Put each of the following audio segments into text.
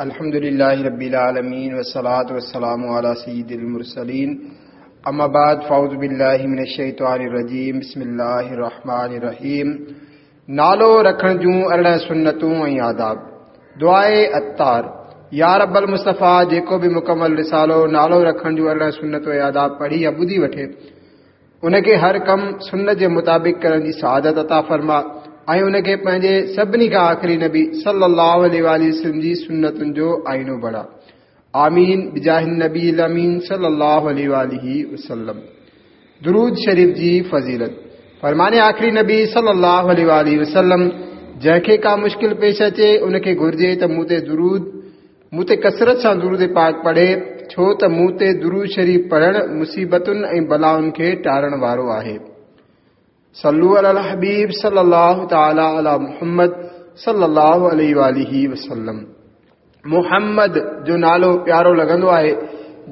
الحمد لله رب العالمين والصلاة والسلام على سيد المرسلين اما بعد فاعوذ بالله من الشيطان الرجيم بسم الله الرحمن الرحيم نالو رکڻ جون 18 سنتون ۽ آداب. دعاء عطار، يا رب المصطفيٰ جيڪو به مڪمل رسالو نالو رکڻ جون 18 سنتون ۽ آداب پڙهي يا ٻڌي وٺي، ان کي هر ڪم سنت جي مطابق ڪرڻ جي سعادت عطا فرما ۽ ان کي پنهنجي سڀني کان آخري نبي صلي الله عليه واٰله وسلم جي سنتن جو آئينو بڻا. آمين بجاه النبي الامين صلي الله عليه واٰله وسلم. درود شريف جي فضيلت. فرمان آخري نبي صلي الله عليه واٰله وسلم، جنهن کي ڪا مشڪل پيش اچي ان کي گهرجي ته مون تي درود مون تي ڪثرت سان درود پاڪ پڙهي، ڇو ته مون تي درود شريف پڙهڻ مصيبتن ۽ بلائن کي ٽارڻ وارو آهي. صلو علی الحبيب صلي الله تعالي علي محمد صلي الله عليه واٰله وسلم. محمد جو نالو پيارو لڳندو آهي،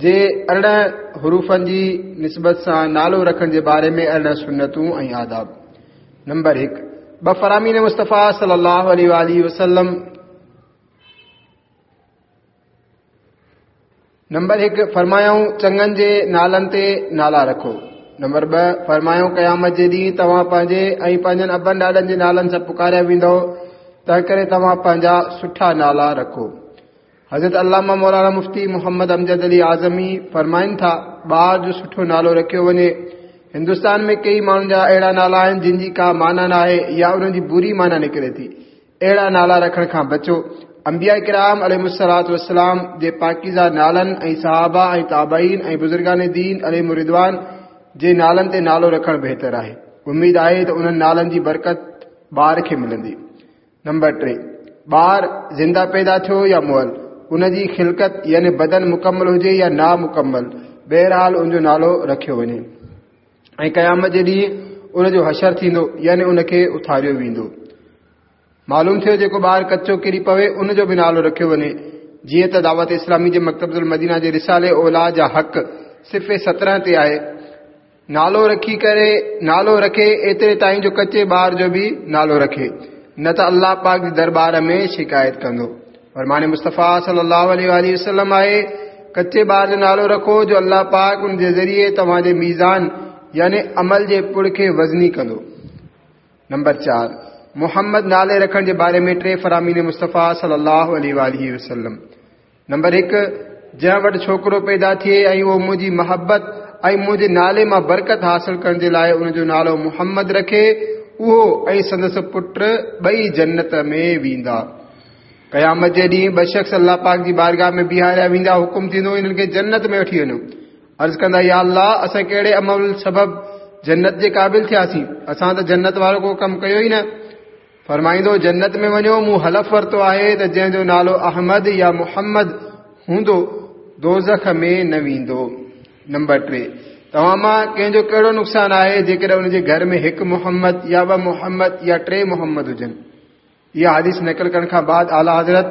جي 18 حروفن جي نسبت سان نالو رکڻ جي باري ۾ 18 سنتون ۽ آداب. نمبر 1، ٻه فرامين مصطفيٰ صلي الله عليه واٰله وسلم. نمبر 1، فرمايائون چڱن جي نالن تي نالا رکو. نمبر 2، فرمايائون قيامت جي ڏينهن توهان پنهنجي ۽ پنهنجن ابن ڏاڏن جي نالن سان پڪاريا ويندؤ، تنهنڪري توهان پنهنجا سٺا نالا رکو. حضرت علامه مولانا مفتي محمد امجد علي اعظمي فرمائن ٿا، ٻار جو سٺو نالو رکيو وڃي. هندستان ۾ ڪيئي ماڻهن جا اهڙا نالا آهن جن جي ڪا معنيٰ ناهي يا انهن جي بري معنيٰ نڪري ٿي. اهڙا نالا رکڻ کان بچو. انبياء ڪرام عليهم الصلوة والسلام جي پاڪيزه نالن ۽ صحابه ۽ تابعين ۽ بزرگان دين عليهم الرضوان جي نالن تي نالو رکڻ بهتر آهي. اميد آهي ته انهن نالن جي برڪت ٻار کي ملندي. نمبر 3، ٻار زنده پيدا ٿيو يا مئل، ان جي خلقت يعني بدن مڪمل هجي يا نامڪمل، بهرحال ان جو نالو رکيو وڃي ۽ قيامت جي ڏينهن ان جو حشر ٿيندو يعني ان کي اٿاريو ويندو. معلوم ٿيو جيڪو ٻار ڪچو ڪري پوي ان جو به نالو رکيو وڃي. جيئن ته دعوت اسلامي جي مڪتبة المدينه جي رسالي اولاد جا حق صفحي 17 تي آهي، نالو رکي ڪري نالو رکي ايتري تائين جو ڪچي ٻار جو به نالو رکي، نه ته الله پاڪ جي درٻار ۾ شڪايت ڪندو. فرمان مصطفيٰ صلي الله عليه واٰله وسلم آهي، ڪچي ٻار جو نالو رکو جو الله پاڪ ان جي ذريعي توهان جي ميزان يعني عمل جي پڙ کي وزني ڪندو. نمبر 4، محمد نالي رکڻ جي باري ۾ ٽي فرامين مصطفيٰ صلي الله عليه واٰله وسلم. نمبر 1، جنهن وٽ ڇوڪرو پيدا ٿئي ۽ اهو منهنجي محبت ۽ منهنجي نالي مان برڪت حاصل ڪرڻ جي لاء ان جو نالو محمد رکي، اهو ۽ سندس پٽ ٻئي جنت ۾ ويندا. قيامت جي ڏينهن ٻه شخص الله پاڪ جي بارگاهه ۾ بيهاريا ويندا، حڪم ٿيندو انهن کي جنت ۾ وٺي وڃو. عرض ڪندا، يا الله اسان ڪهڙي عمل سبب جنت جي قابل ٿياسين؟ اسان ته جنت وارو ڪو ڪم ڪيو ئي نه. فرمائيندو، جنت ۾ وڃو، مون حلف ورتو آهي ته جنهن جو نالو احمد يا محمد هوندو دوزخ ۾ نه ويندو. نمبر 3، توهان مان ڪنهن جو ڪهڙو نقصان آهي جيڪڏهن ان جي گهر ۾ هڪ محمد يا ٻه محمد يا ٽي محمد هجن؟ اها حديث نقل ڪرڻ کان بعد اعليٰ حضرت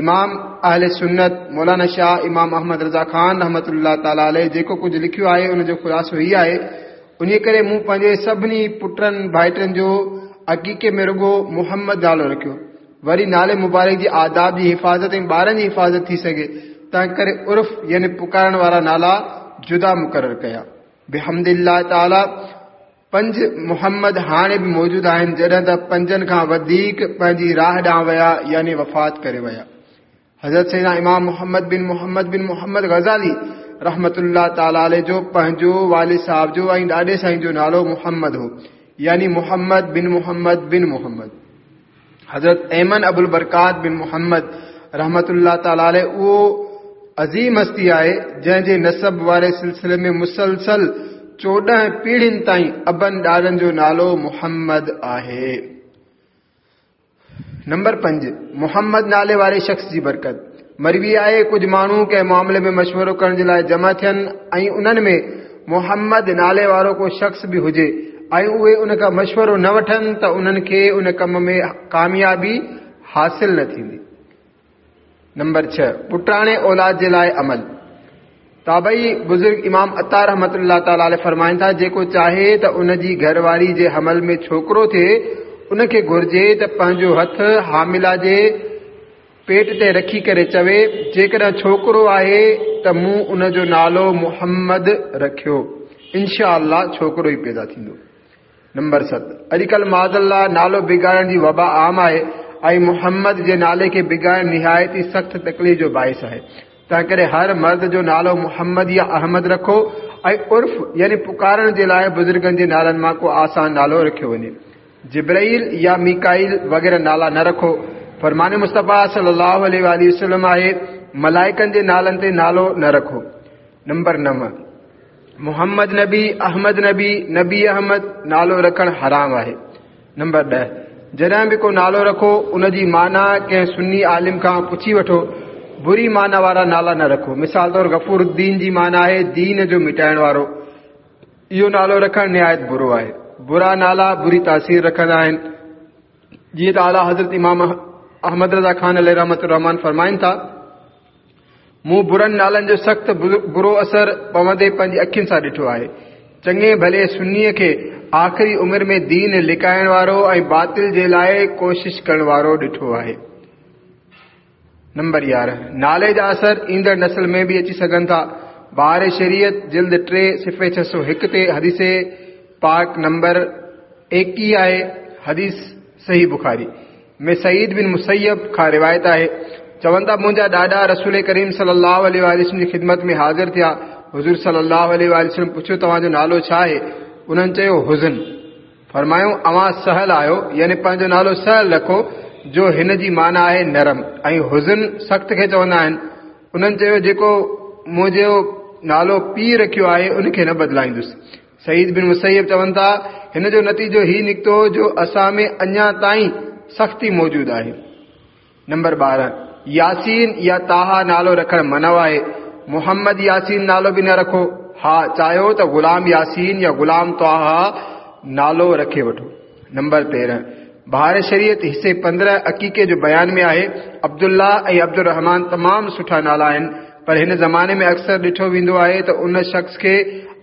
امام اهل سنت مولانا شاهه امام احمد رضا خان رحمة الله تعالٰي عليه جيڪو ڪجهه لکيو آهي ان جو خلاصو هي آهي، انهيء ڪري مون پنهنجي سڀني پٽن ڀائٽن جو عقيقي ۾ رڳو محمد نالو رکيو. وري نالي مبارڪ جي آداب جي حفاظت ۽ ٻارن جي حفاظت ٿي سگهي، تنهن ڪري عرف يعني پڪارڻ وارا نالا جدا مقرر ڪيا. بحمد الله تعالٰي پنج محمد هاڻي به موجود آهن، جڏهن ته پنجن کان وڌيڪ پنهنجي راهه ڏانهن ويا يعني وفات ڪري ويا. حضرت سيدنا امام محمد بن محمد بن محمد غزالي رحمة الله تعالٰي عليه جو پنهنجو والد صاحب جو ۽ ڏاڏي سائين جو نالو محمد هو، يعني محمد بن محمد بن محمد. حضرت ايمن ابوالبرڪات بن محمد رحمة الله تعالٰي عليه اهو عظيم هستي آهي جنهن جي نسب واري سلسلي ۾ مسلسل 14 پيڙهين تائين ابن ڏاڏن جو نالو محمد آهي. نمبر 5، محمد نالي واري شخص جي برڪت. مروي آهي ڪجهه ماڻهو ڪنهن معاملي ۾ مشورو ڪرڻ جي لاء جمع ٿين ۽ انهن ۾ محمد نالي وارو ڪو شخص به هجي ۽ اهي ان کان مشورو نه وٺن ته انهن کي ان ڪم ۾ ڪاميابي حاصل نه ٿيندي. نمبر 6، پٽاڻي اولاد جي لاء عمل. تابعي بزرگ امام عطا رحمة الله تعالٰي عليه فرمائن ٿا، جيڪو چاهي ته ان جي گهر واري جي حمل ۾ ڇوڪرو ٿئي، ان کي گهرجي ته پنهنجو هٿ حامله جي پيٽ تي رکي ڪري چوي، جيڪڏهن ڇوڪرو آهي ته مون ان جو نالو محمد رکيو، انشاء الله ڇوڪرو ئي پيدا ٿيندو. نمبر 7، اڄڪلهه معاذ الله نالو بگاڙڻ جي وبا عام آهي ۽ محمد جي نالي کي بگاڙڻ نهايت ئي سخت تڪليف جو باعث آهي. تنهنڪري هر مرد جو نالو محمد يا احمد رکو ۽ عرف يعني پڪارڻ جي لاء بزرگن جي نالن مان ڪو آسان نالو رکيو وڃي. جبرائيل يا ميڪائيل وغيره نالا نه رکو. فرمان مصطفيٰ صلي الله عليه واٰله وسلم آهي، ملائڪن جي نالن تي نالو نه رکو. نمبر 9، محمد نبي، احمد نبي، نبي احمد نالو رکڻ حرام آهي. نمبر 10، جڏهن به ڪو نالو رکو ان جي معنيٰ ڪنهن سني عالم کان پڇي وٺو. بري معنيٰ وارا نالا نه رکو. مثال طور غفور الدين جي معنيٰ آهي دين جو مٽائڻ وارو. اهو نالو رکڻ نهايت برو آهي. برا نالا بري تاثير رکندا آهن. جيئن ته اعليٰ حضرت امام احمد رضا خان عليه رحمت الرحمان فرمائن ٿا، مون برن نالن جو سخت برو اثر پوندي پنهنجي اکين سان ڏٺو آهي. چڱي ڀلي سنيء کي آخري عمر ۾ دين لڪائڻ وارو ۽ باطل جي لاء ڪوشش ڪرڻ وارو ڏٺو آهي. نمبر 11، نالي جا اثر ايندڙ نسل ۾ به اچي سگهن ٿا. بهار شريعت جلد 3 صفحي 601 تي حديث پاڪ نمبر 21 آهي. حديث صحيح بخاري ۾ سعيد بن مسيب کان روايت آهي، چون ٿا منهنجا ڏاڏا رسول ڪريم صلي الله عليه وآله وسلم جي خدمت ۾ حاضر ٿيا. حضور صلي الله عليه وآله وسلم پڇيو توهان جو نالو ڇا آهي؟ انهن چيو حزن. فرمايو اوهان سهل آهيو، يعني پنهنجو نالو سهل رکو، جو هن جي معنيٰ آهي نرم ۽ حزن سخت کي چوندا آهن. انهن چيو جيڪو منهنجو نالو پيء رکيو آهي ان کي نه بدلائيندس. سعيد بن مسيب چون ٿا هن جو نتيجو هي نڪتو جو اسان ۾ اڃا تائين سختي موجود آهي. نمبر 12، ياسين يا طه نالو رکڻ منع آهي. محمد ياسين نالو به نه رکو. ها چاهيو ته غلام ياسين يا غلام طه نالو رکي وٺو. نمبر 13، بهار شريعت حصي 15 عقيقي جو بيان ۾ آهي، عبدالله ۽ عبدالرحمان تمام سٺا نالا آهن، پر هن زماني ۾ اڪثر ڏٺو ويندو آهي ته ان شخص کي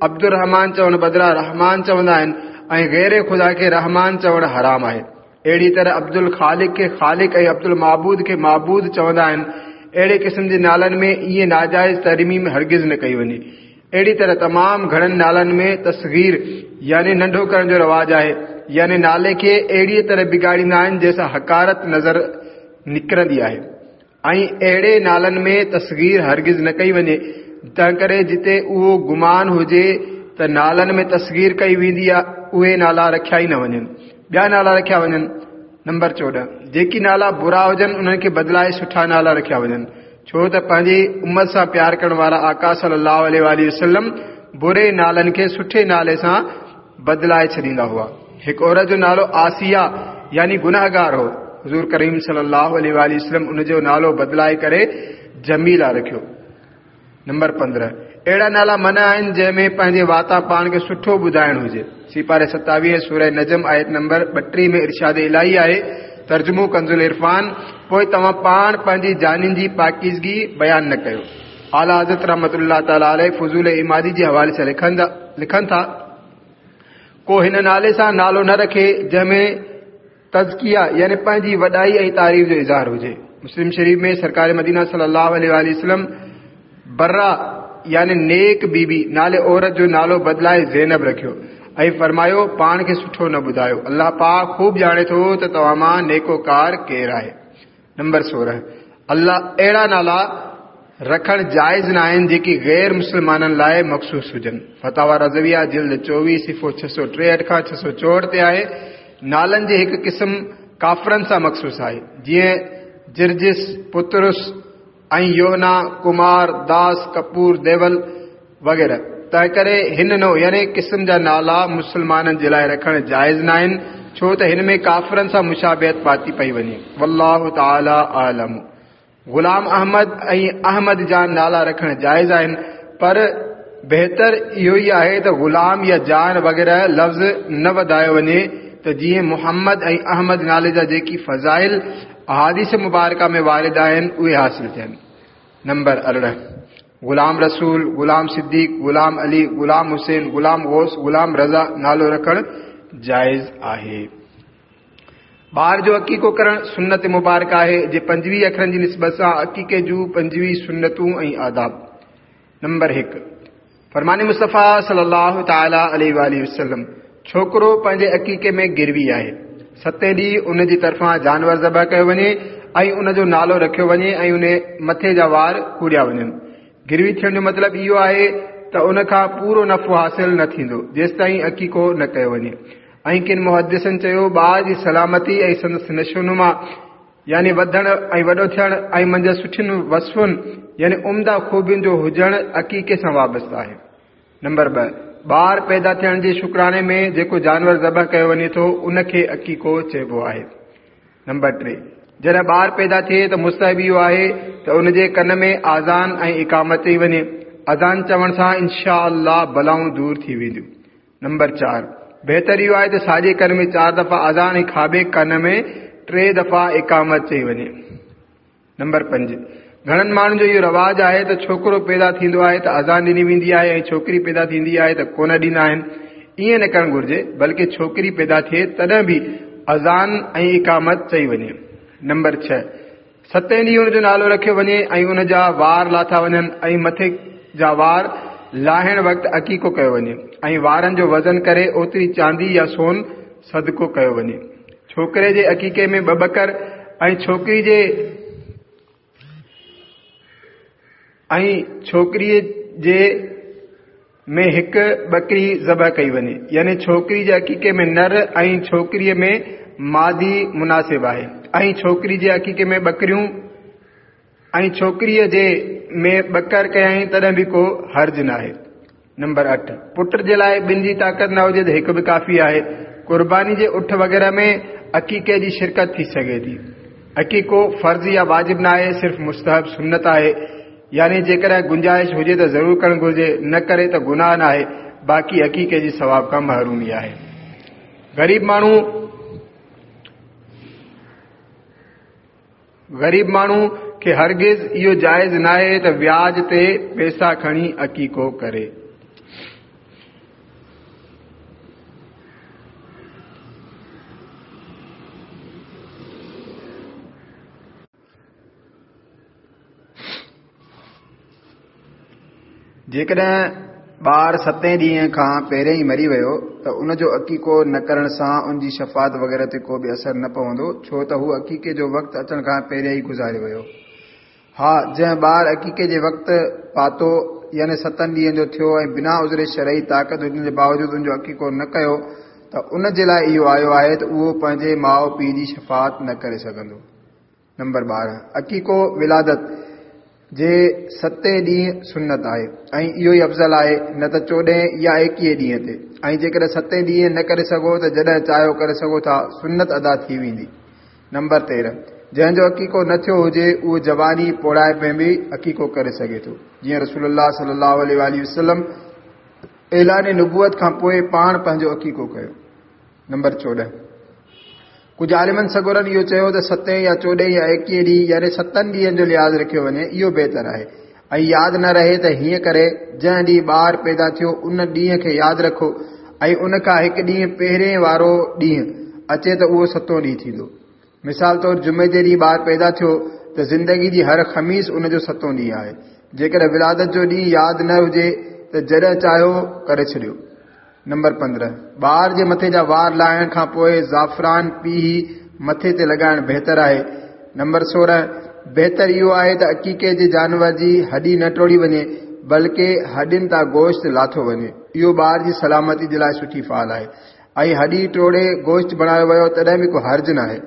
عبدالرحمان چوڻ بدران رحمان چوندا آهن ۽ غير خدا کي رحمان چوڻ حرام آهي. اهڙي طرح عبدالخالق کي خالق ۽ عبدالمعبود کي معبود چوندا آهن. اهڙي قسم جي نالن ۾ ائين ناجائز ترميم هرگز نه ڪئي وڃي. اهڙي طرح تمام گهڻن نالن ۾ تصغير يعني ننڍو ڪرڻ جو رواج آهي، يعني نالي کي اهڙيء طرح بگاڙيندا آهن جنهن سان حقارت نظر نڪرندي آهي ۽ اهڙي نالن ۾ تصغير هرگز نه ڪئي وڃي. تنهنڪري جتي اهو گمان هجي ته نالن ۾ تصغير ڪئي ويندي اهي نالا رکيا ئي نه وڃن، ٻيا نالا رکيا وڃن. نمبر 14، جيڪي نالا برا هجن انهن کي بدلائي سٺا نالا رکيا وڃن، ڇو ته پنهنجي امت سان پيار ڪرڻ وارا آقا صلي الله عليه واٰله وسلم بري نالن کي سٺي نالي سان بدلائي ڇڏيندا هئا. هڪ عورت جو نالو آسيه يعني گنهگار هو، حضور ڪريم صلي الله عليه واٰله وسلم ان جو نالو بدلائي ڪري جميله رکيو. نمبر 15، اهڙا نالا منع آهن جنهن ۾ پنهنجي واتان پاڻ کي سٺو ٻڌائڻ هجي. سيپاري 27 سوره نجم آيت نمبر 32 ۾ ارشاد الاهي آهي، ترجمو ڪنزالعرفان، پوء توهان پاڻ پنهنجي جانين جي پاڪيزگي بيان نه ڪيو. اعليٰ حضرت رحمة الله تعالٰي عليه فضول عمادي جي حوالي سان لکن ٿا، ڪو هن نالي سان نالو نه رکي جنهن ۾ تزڪيه يعني پنهنجي وڏائي ۽ تعريف جو اظهار هجي. مسلم شريف ۾ سرڪار مدينه صلي الله عليه واٰله وسلم بره يعني نيڪ بي بي نالي عورت جو نالو بدلائي زينب رکيو ۽ فرمايو پاڻ کي سٺو نه ٻڌايو، الله پاڪ خوب ڄاڻي ٿو ته توهان مان نيڪوڪار ڪير آهي. نمبر 16، الله اهڙا نالا رکڻ جائز نه آهن جيڪي غير مسلمانن لاء مخصوص هجن. فتاويٰ رضويه جلد 24 صفحو 663 کان 664 تي آهي. نالن جي هڪ قسم ڪافرن سان مخصوص آهي، جيئن جرجس، پطرس ۽ يوحنا، ڪمار، داس، ڪپور، ديول وغيره. تنهنڪري هن نوع يعني قسم جا نالا مسلمانن جي لاء رکڻ جائز ناهن، ڇو ته هن ۾ ڪافرن سان مشابهت پاتي پئي وڃي. والله تعالي اعلم. غلام احمد ۽ احمد جان نالا رکڻ جائز آهن، پر بهتر اهو ئي آهي ته غلام يا جان وغيره لفظ نه وڌايو وڃي ته جيئن محمد ۽ احمد نالي جا جيڪي فضائل احاديث مبارڪه ۾ وارد آهن اهي حاصل ٿين. نمبر 18، غلام رسول، غلام صديق، غلام علي، غلام حسين، غلام غوث، غلام رضا نالو رکڻ جائز آهي. ٻار جو عقيقو ڪرڻ سنت مبارڪ آهي، جي 25 اکرن جي نسبت سان عقيقي جون 25 سنتون ۽ آداب. نمبر 1، فرمان مصطفيٰ صلي الله تعالٰي عليه واٰله وسلم، ڇوڪرو پنهنجي عقيقي ۾ گروي آهي. ستين ڏينهن ان جي طرفان جانور ذبح ڪيو وڃي ۽ ان جو نالو رکيو وڃي ۽ ان مٿي جا وار ڪوڙيا وڃن. گروي ٿيڻ جو مطلب اهو آهي ته ان کان پورو نفعو حاصل نه ٿيندو جيستائين عقيقو نه ڪيو وڃي. ۽ ڪن محدثن چيو، ٻار جي سلامتي ۽ سندس نشونما يعني وڌڻ ۽ وڏو ٿيڻ ۽ منجهس سٺين وصفن يعني عمده خوبين جو هجڻ عقيقي سان وابسته آهي. نمبر 2، ٻار پيدا ٿيڻ جي شڪراڻي ۾ جيڪو جانور ذبح ڪيو وڃي ٿو ان کي عقيقو چئبو آهي. نمبر 3، جڏهن ٻار پيدا ٿئي ته مستحب اهو آهي ته ان جي ڪن ۾ آذان ۽ اقامت چئي وڃي. اذان چوڻ سان انشاء الله بلائون دور ٿي وينديون. نمبر 4، بهتر اهو آهي ته ساڄي ڪن ۾ 4 دفعا اذان ۽ کاٻي ڪن ۾ 3 دفعا اقامت چئي وڃي. نمبر 5، گهڻن ماڻهن جو اهو رواج آهي ته ڇوڪرو پيدا ٿيندو آهي ته اذان ڏني ويندي آهي ۽ ڇوڪري پيدا ٿيندي آهي ته ڪونه ڏيندا آهن. ائين نه ڪرڻ گهرجي، بلڪه ڇوڪري پيدا ٿئي تڏهن به اذان ۽ اقامت چئي وڃي. نمبر 6، ستين ڏينهن ان جو نالو رکيو وڃي ۽ ان جا وار لاٿا وڃن ۽ مٿي جا وار لاهڻ وقت عقيقو ڪيو وڃي ۽ وارن جو وزن ڪري اوتري چاندي يا سون صدقو ڪيو وڃي. ڇوڪري جي عقيقي ۾ 2 ٻڪر ۽ ڇوڪري جي ۾ هڪ ٻڪري ذبح ڪئي وڃي، يعني ڇوڪري جي عقيقي ۾ نر ۽ ڇوڪريء ۾ مادي مناسب آهي ۽ ڇوڪري جي عقيقي ۾ ٻڪريون ۽ ڇوڪريء جي ۾ ٻڪر ڪيائين تڏهن به ڪو حرج ناهي. نمبر 8، پٽ جي لاء ٻن جي طاقت نه هجي ته هڪ به ڪافي آهي. قرباني جي اٺ وغيره ۾ عقيقي جي شرڪت ٿي سگهي ٿي. عقيقو فرض يا واجب ناهي، صرف مستحب سنت آهي. يعني جيڪڏهن گنجائش هجي ته ضرور ڪرڻ گهرجي، نه ڪري ته گناهه ناهي، باقي عقيقي جي ثواب کان محرومي آهي. غريب ماڻهو کي هرگز اهو جائز ناهي ته وياج تي پئسا کڻي عقيقو ڪري. جيڪڏهن ٻار ستين ڏينهن کان پهرين ئي مري ويو ته ان جو عقيقو نه ڪرڻ سان ان جي شفاعت وغيره تي ڪو به اثر نه پوندو، ڇو ته هو عقيقي جو وقت اچڻ کان پهرين ئي گذاري ويو. ها، جنهن ٻار عقيقي جي وقت پاتو يعني ستن ڏينهن جو ٿيو ۽ بنا عذر شرعي طاقت هجڻ جي باوجود ان جو عقيقو نه ڪيو ته ان جي لاء اهو آيو آهي ته اهو پنهنجي ماء پيء جي شفاعت نه ڪري سگهندو. نمبر 12، عقيقو ولادت جي ستين ڏينهن سنت آهي ۽ اهو ئي افضل آهي، نه ته چوڏهين يا ايڪيهين ڏينهن تي، ۽ جيڪڏهن ستين ڏينهن نه ڪري سگهو ته جڏهن چاهيو ڪري سگهو ٿا، سنت ادا ٿي ويندي. نمبر 13، جنهن جو عقيقو نه ٿيو هجي اهو جواني پوڙهائپ ۾ به عقيقو ڪري سگهي ٿو، جيئن رسول الله صلي الله عليه واٰله وسلم اعلان نبوت کان پوء پاڻ پنهنجو عقيقو ڪيو. نمبر 14، ڪجهه عالمن سڳورن اهو چيو ته ستين يا چوڏهين يا ايڪيهين ڏينهن يعني ستن ڏينهن جو لحاظ رکيو وڃي اهو بهتر آهي ۽ ياد نه رهي ته هيئن ڪري جنهن ڏينهن ٻار پيدا ٿيو ان ڏينهن کي ياد رکو ۽ ان کان هڪ ڏينهن پهرين وارو ڏينهن اچي ته اهو ستون ڏينهن ٿيندو. مثال طور جمعي جي ڏينهن ٻار پيدا ٿيو ته زندگي جي هر خميس ان جو ستون ڏينهن آهي. جيڪڏهن ولادت جو ڏينهن ياد نه هجي ته جڏهن چاهيو ڪري ڇڏيو. نمبر 15، ٻار جي مٿي جا وار لاهڻ کان پوء زعفران پيهي مٿي تي لڳائڻ بهتر آهي. نمبر 16، بهتر اهو آهي ته عقيقي جي جانور جي هڏي نه ٽوڙي وڃي، بلڪه هڏين تان گوشت لاٿو وڃي. اهو ٻار جي سلامتي جي لاء سٺي فال آهي ۽ هڏي ٽوڙي گوشت بڻايو ويو تڏهن به ڪو حرج ناهي.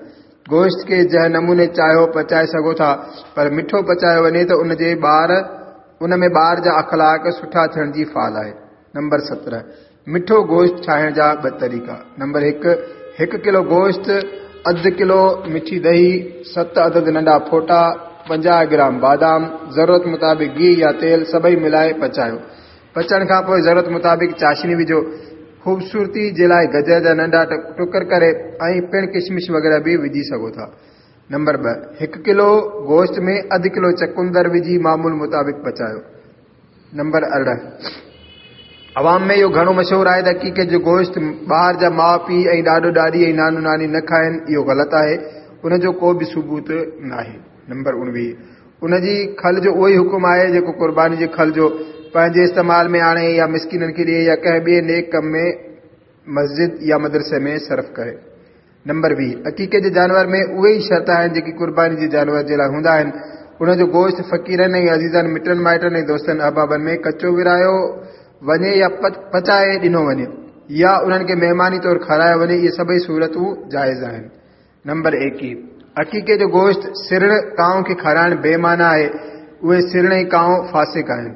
گوشت کي جنهن نموني چاهيو پچائي سگهو ٿا، پر مٺو پچايو وڃي ته ان ۾ ٻار جا اخلاق سٺا ٿيڻ جي فال آهي. نمبر 17، مٺو گوشت ٺاهڻ جا ٻه طريقا. نمبر 1، هڪ ڪلو گوشت، اڌ ڪلو مٺي ڏهي، 7 عدد ننڍا ڦوٽا، 50 گرام بادام، ضرورت مطابق گيهه يا تيل سڀئي ملائي پچايو. پچڻ کان پوء ضرورت مطابق چاشني وجهو. خوبصورتي جي لاء گجر جا ننڍا ٽڪر ڪري ۽ پڻ ڪشمش وغيره به وجهي سگهو ٿا. نمبر 2، هڪ ڪلو گوشت ۾ اڌ ڪلو چقندر وجهي معمول مطابق پچايو. نمبر 18، عوام ۾ اهو گهڻو مشهور آهي ته عقيقي جو گوشت ٻار جا ماء پيء ۽ ڏاڏو ڏاڏي ۽ نانو ناني نه کائن، اهو غلط آهي، ان جو ڪو به ثبوت ناهي. نمبر 19. ان جي کل جو اهو ئي حڪم آهي جيڪو قرباني جي کل جو، پنهنجي استعمال ۾ آڻي يا مسڪينن کي ڏئي يا ڪنهن ٻئي نيڪ ڪم ۾ مسجد يا مدرسي ۾ صرف ڪري. نمبر 20. عقيقي جي جانور ۾ اهي ئي شرط آهن جيڪي قرباني جي جانور جي لاء هوندا آهن. ان جو گوشت فقيرن ۽ عزيزن، مٽن مائٽن ۽ دوستن احبابن ۾ ڪچو ورهايو وڃي يا پچائي ڏنو وڃي يا انهن کي مهماني طور کارايو وڃي، اهي سڀئي صورتون جائز آهن. نمبر 21. عقيقي جو گوشت سرڻ ڪانء کي کارائڻ بي معنيٰ آهي، اهي سرڻ ۽ ڪانء فاسق آهن.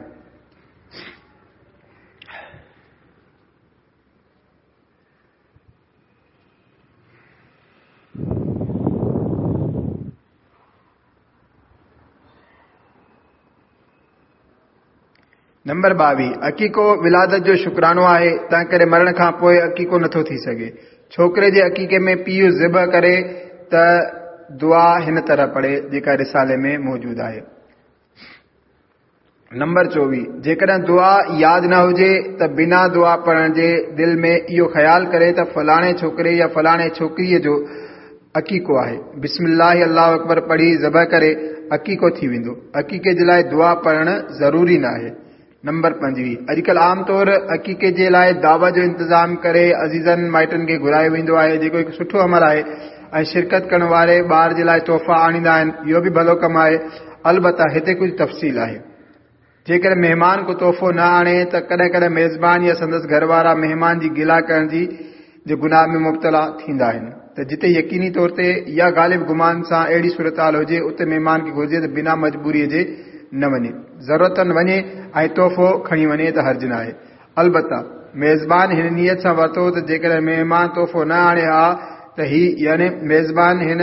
نمبر 22. عقيقو ولادت جو شڪرانو آهي، تنهنڪري مرڻ کان پوء عقيقو نٿو ٿي سگهي. ڇوڪري جي عقيقي ۾ پيء ذبح ڪري ته دعا هن طرح پڙهي، جيڪا رسالي ۾ موجود آهي. نمبر 24. جيڪڏهن دعا ياد نه هجي ته بنا دعا پڙهڻ جي دل ۾ اهو خيال ڪري ته فلاڻي ڇوڪري يا فلاڻي ڇوڪريء جو عقيقو آهي، بسم الله الله اڪبر پڙهي ذبح ڪري، عقيقو ٿي ويندو. عقيقي جي لاء دعا پڙهڻ ضروري ناهي. نمبر 25. اڄڪلهه عام طور عقيقي جي لاء دعوت جو انتظام ڪري عزيزن مائٽن کي گهرايو ويندو آهي، جيڪو هڪ سٺو عمل آهي ۽ شرڪت ڪرڻ واري ٻار جي لاء تحفا آڻيندا آهن، اهو به ڀلو ڪم آهي. البته هتي ڪجهه تفصيل آهي. جيڪڏهن مهمان ڪو تحفو نه آڻي ته ڪڏهن ڪڏهن ميزبان يا سندس گهر وارا مهمان جي گلا ڪرڻ جي جي گناهه ۾ مبتلا ٿيندا آهن ته جتي يقيني طور تي يا غالب گمان سان اهڙي صورتحال هجي اتي مهمان کي گهرجي ته بنا مجبوريء جي نه وڃي، ضرورتاً وڃي ۽ تحفو کڻي وڃي ته حرج ناهي. البته ميزبان هن نيت سان ورتو ته جيڪڏهن مهمان تحفو نه آڻي ها ته هي يعني ميزبان هن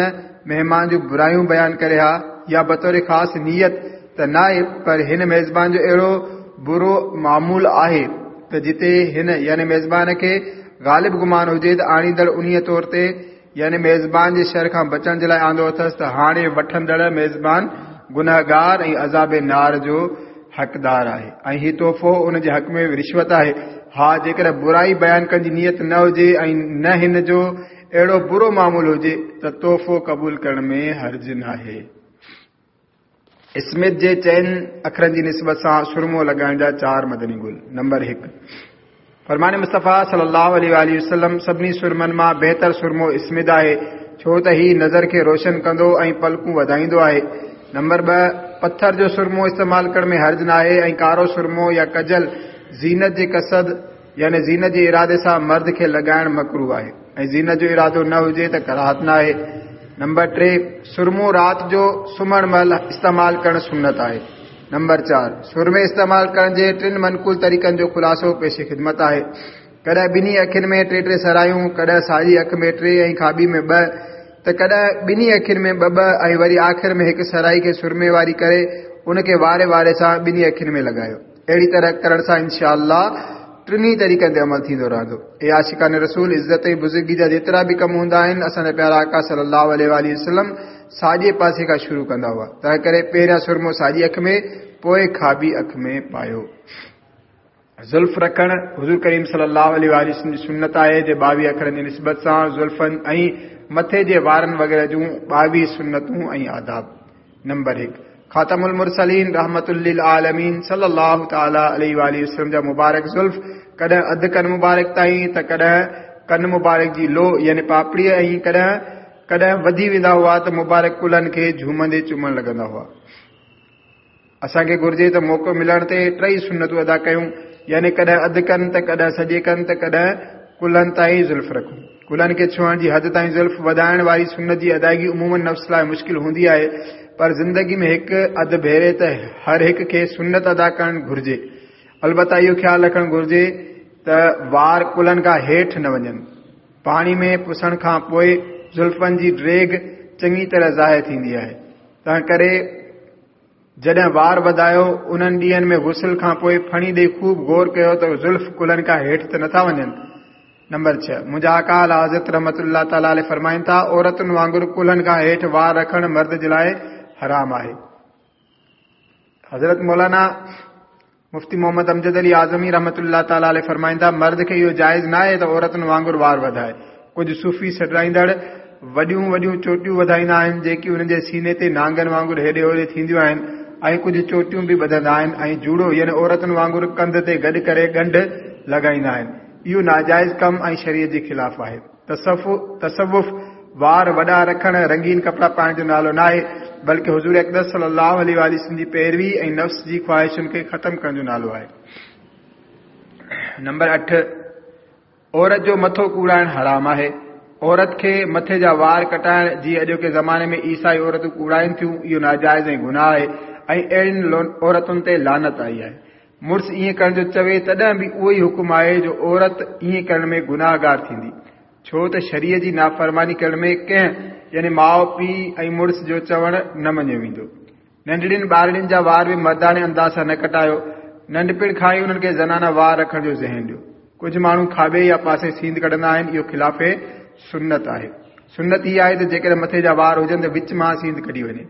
مهمان جون برايون بيان ڪري ها يا بطور خاص نيت ته ناهي پر هن ميزبان جو اهڙو برو معمول آهي ته جتي هن يعني ميزبان کي غالب گمان هجي ته آڻيندڙ انهيء طور تي يعني ميزبان جي شر کان بچڻ جي لاء آندو اٿس ته هاڻي وٺندڙ ميزبان گنهگار ۽ عذاب نار جو حقدار آهي ۽ هي تحفو ان جي حق ۾ رشوت آهي. ها جيڪڏهن برائي بيان ڪرڻ جي نيت نه هجي ۽ نه هن جو اهڙو برو معمول هجي ته تحفو قبول ڪرڻ ۾ حرج ناهي. اسمت جي چئن اکرن جي نسبت سان سرمو لڳائڻ جا چار مدني گل. نمبر 1. فرمان مصطفيٰ صلي الله عليه واٰله وسلم سڀني سرمن مان بهتر سرمو اسمد آهي، ڇو ته هي نظر کي روشن ڪندو ۽ پلڪون وڌائيندو آهي. نمبر 2. پٿر جو سرمو استعمال ڪرڻ ۾ حرج ناهي ۽ ڪارو سرمو يا ڪجل زينت جي قصد يعني زينت جي ارادي سان مرد کي لڳائڻ مڪروه آهي ۽ زينت جو ارادو نه هجي ته ڪراهت ناهي. نمبر 3. سرمو رات جو سمهڻ مهل استعمال ڪرڻ سنت آهي. نمبر 4. سرمي استعمال ڪرڻ جي ٽن منقول طريقن جو خلاصو پيش خدمت آهي. ڪڏهن ٻنهي اکين ۾ ٽي ٽي سرايون، ڪڏهن ساڄي اک ۾ ٽي ۽ کاٻي ۾ ٻه، ته ڪڏهن ٻنهي اکين ۾ ٻه ٻه ۽ وري آخر ۾ هڪ سرائي کي سرمي واري ڪري ان کي واري واري سان ٻنهي اکين ۾ لڳايو. اهڙي طرح ڪرڻ سان انشاء الله ٽنهي طريقن تي عمل ٿيندو رهندو. اي عاشقان رسول! عزت ۽ بزرگي جا جيترا به ڪم هوندا آهن، اسان جا پيارا آقا صلي الله عليه واٰله وسلم ساڄي پاسي کان شروع ڪندا هئا، تنهنڪري پهريان سرمو ساڄي اک ۾، پوء کاٻي اک ۾ پايو. زلف رکڻ حضور ڪريم صلي الله عليه واٰله وسلم جي سنت آهي، جي 22 اکرن جي نسبت سان زلفن ۽ مٿي جي وارن وغيره جون 22 سنتون ۽ آداب. نمبر 1. خاتم المرسلين رحمت للعالمين صلي الله تعالٰي عليه واٰله وسلم جا مبارڪ زلف ڪڏهن اڌ ڪن مبارڪ تائين ته ڪڏهن ڪن مبارڪ جي لو يعني پاپڙيء ۽ ڪڏهن ڪڏهن وڌي ويندا هئا ته مبارڪ ڪلهن کي جهومندي چمڻ لڳندا هئا. اسان کي گهرجي ته موقعو ملڻ تي ٽئي سنتون ادا ڪيون يعني ڪڏهن اڌ ڪن ته ڪڏهن سڄي ڪن ته ڪڏهن ڪلهن تائين زلف رکون. ڪلهن کي ڇهڻ جي حد تائين زلف وڌائڻ واري سنت جي ادائگي عموماً نفس لاء مشڪل هوندي آهي پر زندگي ۾ هڪ اڌ ڀيري ته هر هڪ کي سنت ادا ڪرڻ گهرجي. البته اهو خيال رکڻ گهرجي ته وار ڪلهن کان هيٺ نه وڃن. پاڻي ۾ پسڻ کان پوء زلفن جي ڊيگهه چڱي طرح ظاهر ٿيندي آهي، تنهنڪري جڏهن وار وڌايو، انهن ڏينهن ۾ غسل کان پوء ڦڻي ڏئي خوب غور ڪيو ته زلف ڪلهن کان هيٺ ته نٿا وڃن. نمبر 6. منهنجا آقا اعليٰ حضرت رحمة الله تعالٰي عليه فرمائن ٿا، عورتن وانگر ڪلهن کان هيٺ وار رکڻ مرد جي لاء حرام آهي. حضرت مولانا. مفتي محمد امجد علي اعظمي رحمة الله تعالٰي عليه فرمائن ٿا، مرد کي اهو جائز ناهي ته عورتن وانگر وار وڌائي. ڪجهه صوفي سڏرائيندڙ وڏيون وڏيون چوٽيون وڌائيندا آهن، جيڪي انهن جي سيني تي نانگن وانگر هيڏي هوڏي ٿينديون آهن ۽ ڪجهه چوٽيون به ٻڌندا آهن ۽ جوڙو يعني عورتن وانگر ڪنڌ تي گڏ ڪري ڳنڍ لڳائيندا آهن. اهو ناجائز ڪم ۽ شريعت جي خلاف آهي. تصوف وار وڏا رکڻ، رنگين ڪپڙا پائڻ جو نالو ناهي، بلڪه حضور اقدس صلي الله عليه واٰله وسلم جي پيروي ۽ نفس جي خواهشن کي ختم ڪرڻ جو نالو آهي. نمبر 8، عورت جو مٿو ڪوڙائڻ حرام آهي. عورت کي مٿي جا وار ڪٽائڻ، جيئن اڄوڪي زماني ۾ عيسائي عورتون ڪوڙائين ٿيون، اهو ناجائز ۽ گناهه آهي ۽ اهڙين عورتن تي لعنت آئي آهي. مڙس ائين ڪرڻ جو چوي تڏهن به اهو ئي حڪم آهي جو عورت ائين ڪرڻ ۾ گناهگار ٿيندي، ڇو ته شريعت جي نافرماني ڪرڻ ۾ ڪنهن يعني ماء پيء ۽ مڙس جو چوڻ نه مڃيو ويندو. ننڍڙين ٻارڙين جا وار به مرداڻي انداز سان نه ڪٽايو. ننڍپڻ کان ئي انهن کي زنانا وار رکڻ جو ذهن ڏيو. ڪجهه ماڻهو کاٻي يا پاسي سينڌ ڪڍندا آهن، اهو خلاف سنت آهي. سنت هي آهي ته جيڪڏهن مٿي جا وار هجن ته وچ مان سينڌ ڪڍي وڃي.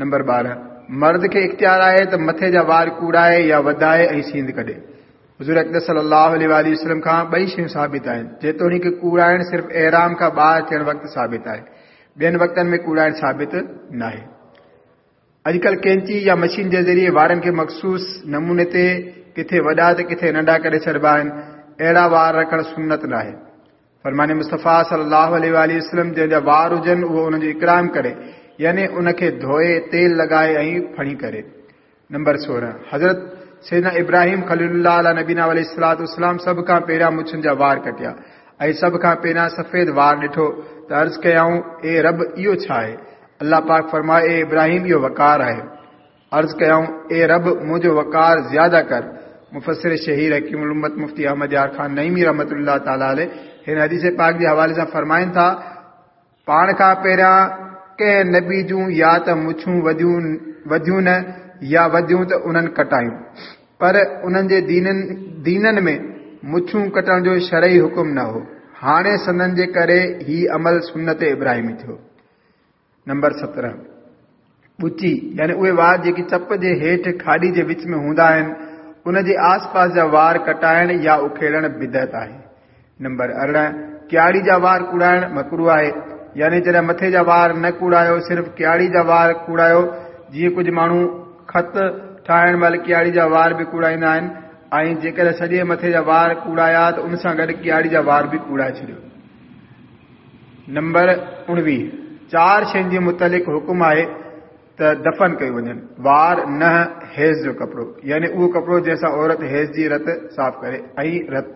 نمبر 12، مرد کي اختيار آهي ته مٿي جا وار ڪوڙائي يا وڌائي ۽ سينڌ ڪڍي. حضور اقدس صلي الله عليه واٰله وسلم کان ٻئي شيون ثابت آهن، جيتوڻيڪ ڪوڙائڻ صرف احرام کان ٻاهر ٿيڻ وقت ثابت آهي، ٻين وقتن ۾ ڪوڙائڻ ثابت ناهي. اڄڪلهه قينچي يا مشين جي ذريعي وارن کي مخصوص نموني تي ڪٿي وڏا ته ڪٿي ننڍا ڪري ڇڏبا آهن، اهڙا وار رکڻ سنت ناهي. فرمان مصطفيٰ صلي الله عليه واٰله وسلم جنهن جا وار هجن اهو ان جو اڪرام ڪري يعني ان کي ڌوئي تيل لڳائي ۽ ڦڻي ڪري. نمبر 16، حضرت سيدنا ابراهيم خليل الله عليه نبينا عليه الصلوة والسلام سڀ کان پهريان مڇن جا وار ڪٽيا ۽ سڀ کان پهريان سفيد وار ڏٺو ته عرض ڪيائون اي رب اهو ڇا آهي؟ الله پاڪ فرمايو اي ابراهيم اهو وقار آهي. عرض ڪيائون، اي رب! منهنجو وقار زياده ڪر. مفسر شهير حڪيم الامت مفتي احمد يار خان نعيمي رحمة الله تعالٰي عليه هن حديث پاڪ جي حوالي سان فرمائن ٿا، پاڻ کان پهريان ڪنهن نبي جون يا ته مڇون وڌيون نه يا وڌيون ته انهن ڪٽايون، پر انهن جي دينن ۾ مڇون ڪٽڻ جو شرعي حڪم نه هو. هاڻي سندن جي ڪري هي عمل سنت ابراهيمي ٿيو. نمبر 17، ڳچي يعني اهي وار جيڪي چپ جي هيٺ کاڏي جي وچ ۾ هوندا آهن، ان جي آس پاس جا وار ڪٽائڻ يا اکيڙڻ بدعت آهي. نمبر 18، ڪياڙي جا وار ڪوڙائڻ مڪروه آهي، يعني جڏهن مٿي جا وار نه ڪوڙايو صرف ڪياڙي جا وار ڪوڙايو، جيئن ڪجهه ماڻهو خط ٺاهڻ مهل ڪياڙي جا وار به ڪوڙائيندا آهن ۽ جيڪڏهن سڄي مٿي جا وار ڪوڙايا ته ان سان گڏ ڪياڙي جا وار به ڪوڙائي ڇڏيو. نمبر 19، چار شين جي متعلق حڪم آهي ته دفن ڪيون وڃن، وار، ننهن، حيض جو ڪپڙو يعني اهو ڪپڙو جنهن سان عورت حيض جي رت صاف ڪري ۽ رت.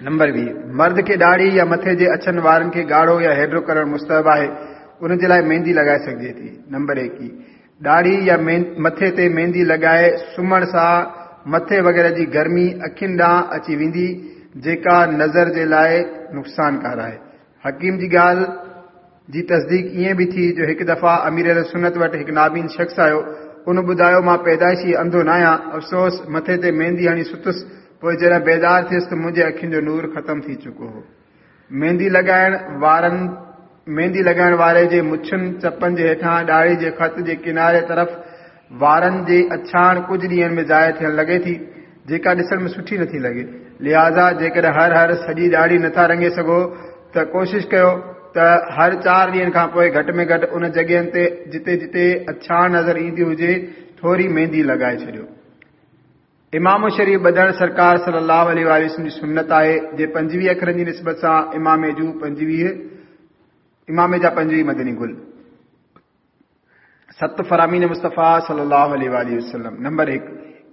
نمبر 20، مرد کي ڏاڙهي يا مٿي جي اڇن وارن کي ڳاڙهو يا هيڊرو ڪرڻ مستحب آهي، ان جي لاء ميندي لڳائي سگهجي ٿي. نمبر 21، ڏاڙهي يا مٿي تي ميندي لڳائي سمهڻ سان مٿي وغيره جي گرمي اکين ڏانهن اچي ويندي جيڪا نظر جي لاء نقصانڪار آهي. حڪيم جي ڳالهه جي تصديق ائين به ٿي جو هڪ دفعا امير اهلسنت وٽ هڪ نابين شخص آيو ان ٻڌايو مان پيدائشي انڌو ناهيان افسوس مٿي تي ميندي هڻي ستس پوء جڏهن بيدار ٿيس ته منهنجي اکين جو نور ختم ٿي چڪو هو. ميندي لڳائڻ وارن ميندي لڳائڻ واري جي مڇن، چپن جي هيٺان ڏاڙهي جي خط جي ڪناري طرف وارن جي اڇاڻ ڪجهه ڏينهن ۾ ظاهر ٿيڻ لڳي ٿي، جيڪا ڏسڻ ۾ سٺي نٿي لڳي. لهٰذا جيڪڏهن هر هر سڄي ڏاڙهي نٿا رڱي سگهو ته ڪوشش ڪيو ته هر چار ڏينهن کان پوء گهٽ ۾ گهٽ ان جڳهين تي جتي جتي اڇاڻ نظر ايندي هجي ٿوري ميندي لڳائي ڇڏيو. عمامو شريف ٻڌڻ سرڪار صلي الله عليه واٰله وسلم جي سنت آهي، جي 25 اکرن جي نسبت سان عمامي جون 25 عمامي جا 25 مدني گل. ست فرامين مصطفيٰ صلي الله عليه واٰله وسلم. نمبر 1،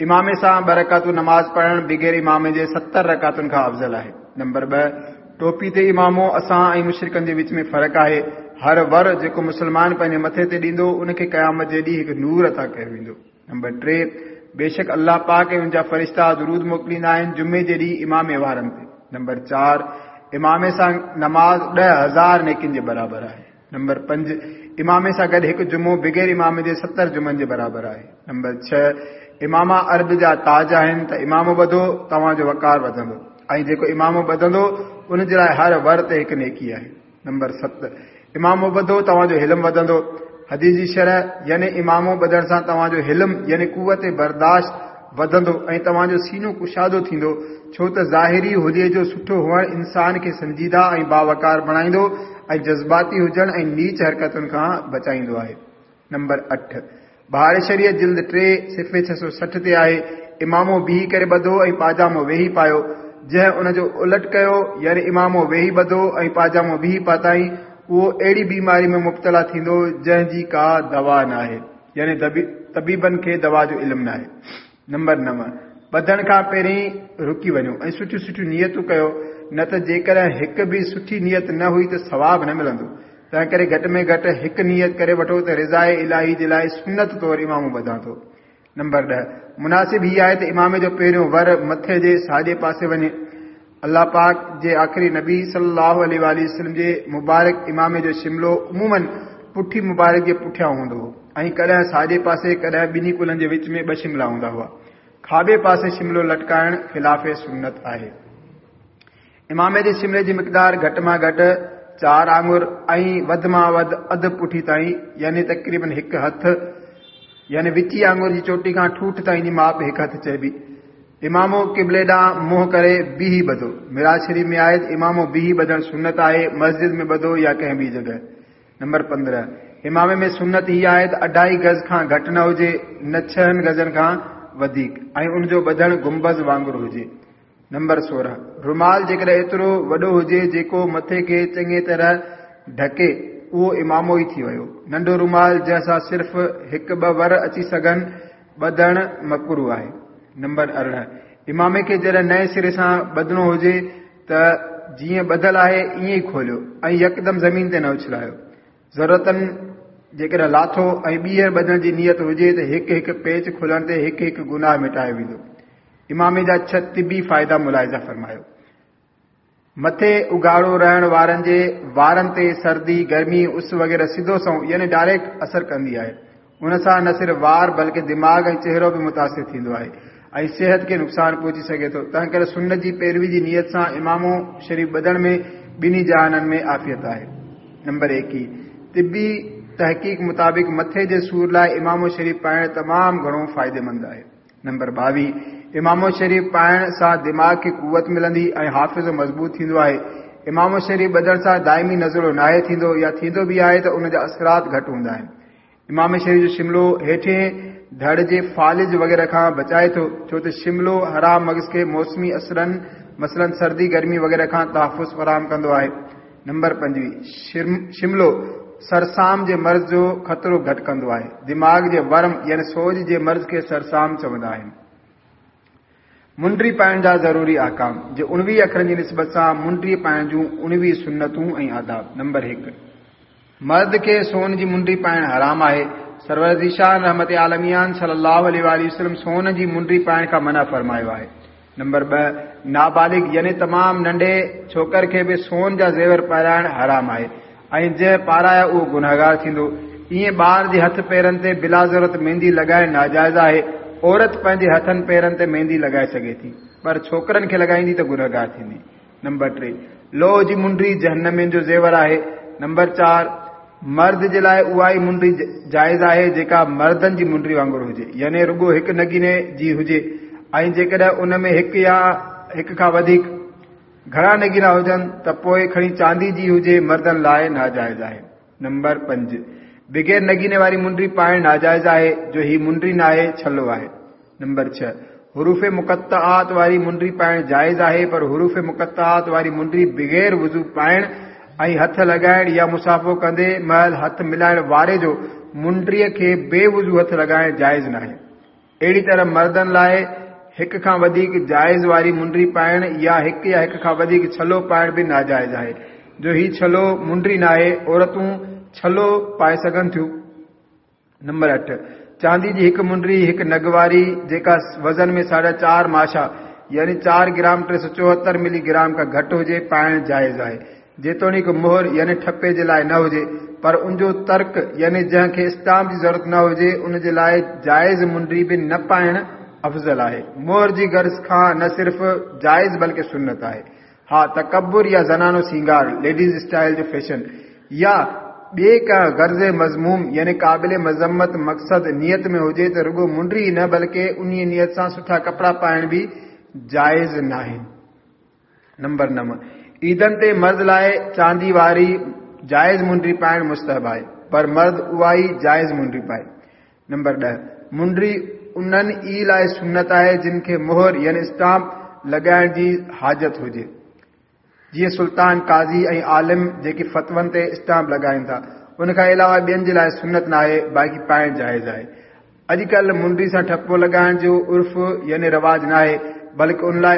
عمامي سان ٻه رڪعتون نماز پڙهڻ بغير عمامي جي 70 رڪعتن کان افضل آهي. نمبر 2، ٽوپي تي عمامو اسان ۽ مشرڪن جي وچ ۾ فرق آهي. هر ور جيڪو مسلمان پنهنجي مٿي تي ڏيندو ان کي قيامت جي ڏينهن هڪ نور عطا ڪيو ويندو. نمبر 3، بيشڪ الله پاڪ ۽ ان جا فرشتا درود موڪليندا آهن جمعي جي ڏينهن عمامي وارن تي. نمبر 4، عمامي سان نماز 10,000 نيڪين جي برابر آهي. نمبر 5، عمامي سان گڏ هڪ جمعو بغير عمامي جي 70 جمعن جي برابر آهي. نمبر 6، عماما عرب جا تاج آهن ته عمامو ٻڌو توهان جو وقار وڌندو ۽ جيڪو عمامو ٻڌندو ان جي لاء هر ور تي هڪ نيڪي آهي. نمبر 7، عمامو ٻڌو توهان جو حلم وڌندو. حديث جي شرح، يعني عمامو ٻڌڻ سان توهان جو حلم يعني قوت برداشت وڌندو ۽ توهان جو سينو ڪشادو ٿيندو، ڇو ته ظاهري حليي جو سٺو هئڻ انسان کي سنجيده ۽ باوقار بڻائيندو ۽ جذباتي هجڻ ۽ نيچ حرڪتن کان بچائيندو آهي. نمبر 8، بهار شريعت جلد 3 صفحي 660 تي آهي، امامو بيهي ڪري ٻڌو ۽ پاجامو ويهي پايو، جنهن ان جو الٽ ڪيو، يعني امامو ويهي ٻڌو ۽ پاجامو بيهي پاتائين، اهو اهڙي بيماري ۾ مبتلا ٿيندو جنهن جي ڪا دوا ناهي، يعني طبيبن کي دوا جو علم ناهي. نمبر 9، ٻڌڻ کان پهرين رڪي وڃو ۽ سٺيون سٺيون نيتون ڪيو، نه ته جيڪڏهن هڪ به سٺي نيت نه هئي ته ثواب نه ملندو. تنهنڪري گهٽ ۾ گهٽ هڪ نيت ڪري وٺو ته رضاء الاهي جي لاء سنت طور امامو ٻڌان ٿو. نمبر 10، مناسب هي آهي ته امامي جو پهريون ور مٿي جي ساڄي پاسي وڃي. الله پاڪ جي آخري نبي صلي الله عليه واٰله وسلم جي مبارڪ امامي جو شملو عموماً پٺي مبارڪ جي پٺيان هوندو هو ۽ ڪڏهن ساڄي پاسي ڪڏهن ٻنهي ڪلهن جي وچ ۾ ٻه شملا هوندا هئا. کاٻي پاسي شملو لٽڪائڻ خلاف سنت آهي. امامي جي شملي جي مقدار گهٽ مان گهٽ 4 آڱر ۽ وڌ مان وڌ اڌ پٺي تائين يعني تقريباً هڪ هٿ يعني وچي آڱر جي چوٽي کان ٺوٺ تائين جي ماپ هڪ هٿ چئبي. امامو قبلي ڏانهن منهن ڪري بيهي ٻڌو. معراج شريف ۾ آهي ته امامو بيهي ٻڌڻ سنت آهي، مسجد ۾ ٻڌو يا ڪنهن ٻي جڳهه. نمبر 15، امامي ۾ سنت هي آهي ته اڍائي گز کان گهٽ نه هجي، نه 6 گزن کان وڌيڪ ۽ ان جو ٻڌڻ گنبذ وانگر هجي. نمبر 16، رومال جيڪڏهن ايترو وڏو هجي جيڪو مٿي کي چڱي طرح ڍڪي، اهو امامو ئي ٿي ويو. ننڍو رومال جنهن سان صرف هڪ ٻه ور اچي سگهن، ٻڌڻ مڪروه آهي. نمبر 18، امامي کي جڏهن نئين سري سان ٻڌڻو هجي ته جيئن ٻڌل آهي ائين ئي کوليو ۽ يڪدم زمين تي نه اڇلايو. ضرورتاً جيڪڏهن لاٿو ۽ ٻيهر ٻڌڻ جي نيت هجي ته هڪ هڪ پيچ کولڻ تي هڪ هڪ گناهه مٽايو ويندو. امامي جا 6 طبي فائدا ملاحظه فرمايو. مٿي اگهاڙو رهڻ وارن جي وارن تي سردي، گرمي، اس وغيره سڌو سنئون يعني ڊائريڪٽ اثر ڪندي آهي. ان سان نه صرف وار بلڪه دماغ ۽ چهرو به متاثر ٿيندو آهي ۽ صحت کي نقصان پهچي سگهي ٿو. تنهنڪري سنت جي پيروي جي نيت سان امامو شريف ٻڌڻ ۾ ٻنهي جهانن ۾ عافيت آهي. نمبر 21، طبي تحقيق مطابق مٿي جي سور لاء امامو شريف پائڻ تمام گهڻو فائديمند آهي. نمبر 22، امامو شريف پائڻ سان دماغ کي قوت ملندي ۽ حافظو مضبوط ٿيندو آهي. امامو شريف ٻڌڻ سان دائمي نزلو ناهي ٿيندو يا ٿيندو به آهي ته ان جا اثرات گهٽ هوندا آهن. امامي شريف جو شملو هيٺين ڌڙ جي فالج وغيره کان بچائي ٿو، ڇو ته شملو حرام مغز کي موسمي اثرن مثلاً سردي گرمي وغيره کان تحفظ فراهم ڪندو آهي. نمبر 25، شملو سرسام جي مرض جو خطرو گهٽ ڪندو آهي. دماغ جي ورم يعني سوڄ جي مرض کي سرسام چوندا آهن. منڊي پائڻ جا ضروري احڪام جي 19 اکرن جي نسبت سان منڊي پائڻ جون 19 سنتون ۽ آداب. نمبر 1، مرد کي سون جي منڊي پائڻ حرام آهي. سرور ذيشان رحمت عالميان صلي الله عليه واٰله وسلم سون جي منڊي پائڻ کان منع فرمايو آهي. نمبر 2، نابالغ يعني تمام ننڍي ڇوڪر کي به سون جا زيور پارائڻ حرام آهي ۽ جنهن پارايا اهو گنهگار ٿيندو. ائين ٻار جي هٿ پيرن تي بلا ضرورت ميندي لڳائڻ ناجائز آهي. عورت پنهنجي هٿن پيرن تي ميندي لڳائي سگهي ٿي پر ڇوڪرن کي لڳائيندي ته گنهگار ٿيندي. نمبر 3، لوهه جي منڊي جهنمين جو زيور آهي. نمبر 4، مرد جي لاء اها ئي منڊي جائز آهي جيڪا مردن جي منڊي وانگر هجي يعني رڳو هڪ نگيني جي هجي ۽ جيڪڏهن ان ۾ هڪ يا هڪ کان وڌيڪ گهڻا نگينا هجن ته پوء کڻي چاندي جي هجي مردن لاء ناجائز آهي. نمبر 5، بغير نگيني واري منڊي پائڻ ناجائز آهي جو هي منڊي ناهي ڇلو آهي. نمبر 6، حروف مقطعات واري منڊي پائڻ جائز آهي پر حروف مقطعات واري منڊي بغير وضو پائڻ ۽ هٿ لڳائڻ يا مصافحو ڪندي مهل هٿ ملائڻ واري جو منڊيء کي بي وضو هٿ لڳائڻ جائز ناهي. اهڙي طرح مردن لاء هڪ کان وڌيڪ جائز واري منڊي پائڻ يا هڪ يا هڪ کان وڌيڪ ڇلو پائڻ به ناجائز آهي جو هي ڇلو منڊي ناهي، عورتون ڇلو پائي سگهن ٿيون. نمبر 8، چاندي جي هڪ منڊي هڪ نگ واري جيڪا وزن ۾ 4.5 ماشا يعني 4 گرام 374 ملي گرام کان گهٽ هجي پائڻ جائز آهي جيتوڻيڪ مهر يعني ٺپي جي لاء نه هجي پر ان جو ترڪ يعني جنهن کي اسٽامپ جي ضرورت نه هجي ان جي لاء جائز منڊي به نه پائڻ افضل آهي. مهر جي غرض کان نه صرف جائز بلڪه سنت آهي. ها تڪبر يا زنانو سينگار، ليڊيز اسٽائيل جو فيشن، يا ٻئي ڪنهن غرض مذموم يعني قابل مذمت مقصد نيت ۾ هجي ته رڳو منڊي ئي نه بلڪه انهيء نيت سان سٺا ڪپڙا پائڻ به جائز ناهن. نمبر 9، عيدن تي مرد لاء چاندي واري جائز منڊي پائڻ مستحب آهي، پر مرد اها ئي جائز منڊي پائي. نمبر 10، منڊي انهن ئي لاء سنت آهي جن کي مهر يعني اسٽامپ لڳائڻ جي حاجت هجي، جيئن سلطان، قاضي ۽ عالم جيڪي فتون تي اسٽامپ لڳائين ٿا. ان کان علاوه ٻين جي لاء سنت ناهي، باقي پائڻ جائز آهي. اڄڪلهه منڊي سان ٺپو لڳائڻ جو عرف يعني رواج ناهي، بلڪ ان لاء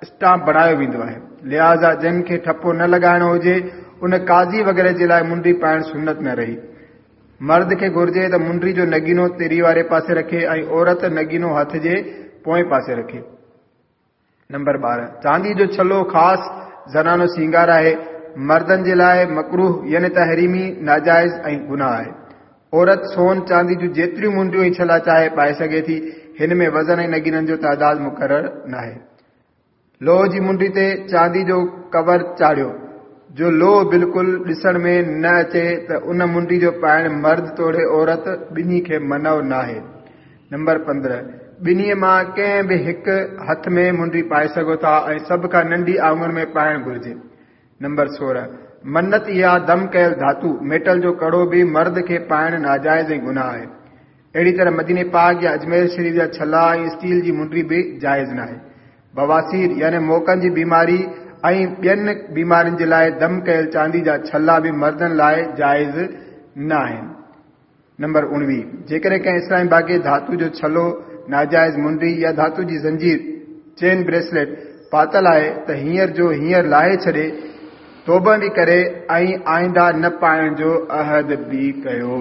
اسٽامپ بڻايو ويندو آهي. لهٰذا جن کي ٺپو نه لڳائڻو هجي، ان قاضي وغيره جي لاء منڊي پائڻ سنت نه رهي. مرد کي گهرجي ته منڊي جو نگينو تري واري پاسي رکي ۽ عورت نگينو هٿ جي پوئين پاسي رکي. نمبر 12، چاندي جو ڇلو خاص زنانو سينگار آهي، مردن جي لاء مڪروه يعني تحريمي، ناجائز ۽ گناهه آهي. عورت سون چاندي جون جيتريون منڊيون ۽ ڇلا چاهي پائي سگهي ٿي، هن ۾ وزن ۽ نگينن جو تعداد مقرر ناهي. لوهه جي منڊي تي چاندي جو ڪور چاڙهيو، جو لوهه بلڪل ڏسڻ ۾ نه اچي ته ان منڊي جو پائڻ مرد توڙي عورت ٻنهي کي منع ناهي. نمبر 15، ٻنهي مان ڪنهن به هڪ هٿ ۾ منڊي پائي سگهو ٿا ۽ سڀ کان ننڍي آڱر ۾ پائڻ گهرجي. نمبر 16، منت يا دم ڪيل ڌاتو، ميٽل، جو ڪڙو به مرد کي پائڻ ناجائز ۽ گناهه آهي. اهڙي طرح مديني پاڪ يا اجمير شريف جا ڇلا ۽ اسٽيل جي منڊي به جائز ناهي. بواسير يعني موڪن جي بيماري ۽ ٻين بيمارين جي لاء دم ڪيل چاندي جا ڇلا به مردن لاء جائز نه آهن. نمبر 19، جيڪڏهن ڪنهن اسلامي ڀاء کي ڌاتو جو ڇلو، ناجائز منڊي يا ڌاتو جي زنجير، چين بريسليٽ، پاتل آهي ته هينئر جو هينئر لاهي ڇڏي، توبه به ڪري ۽ آئنده نه پائڻ جو عهد به ڪيو.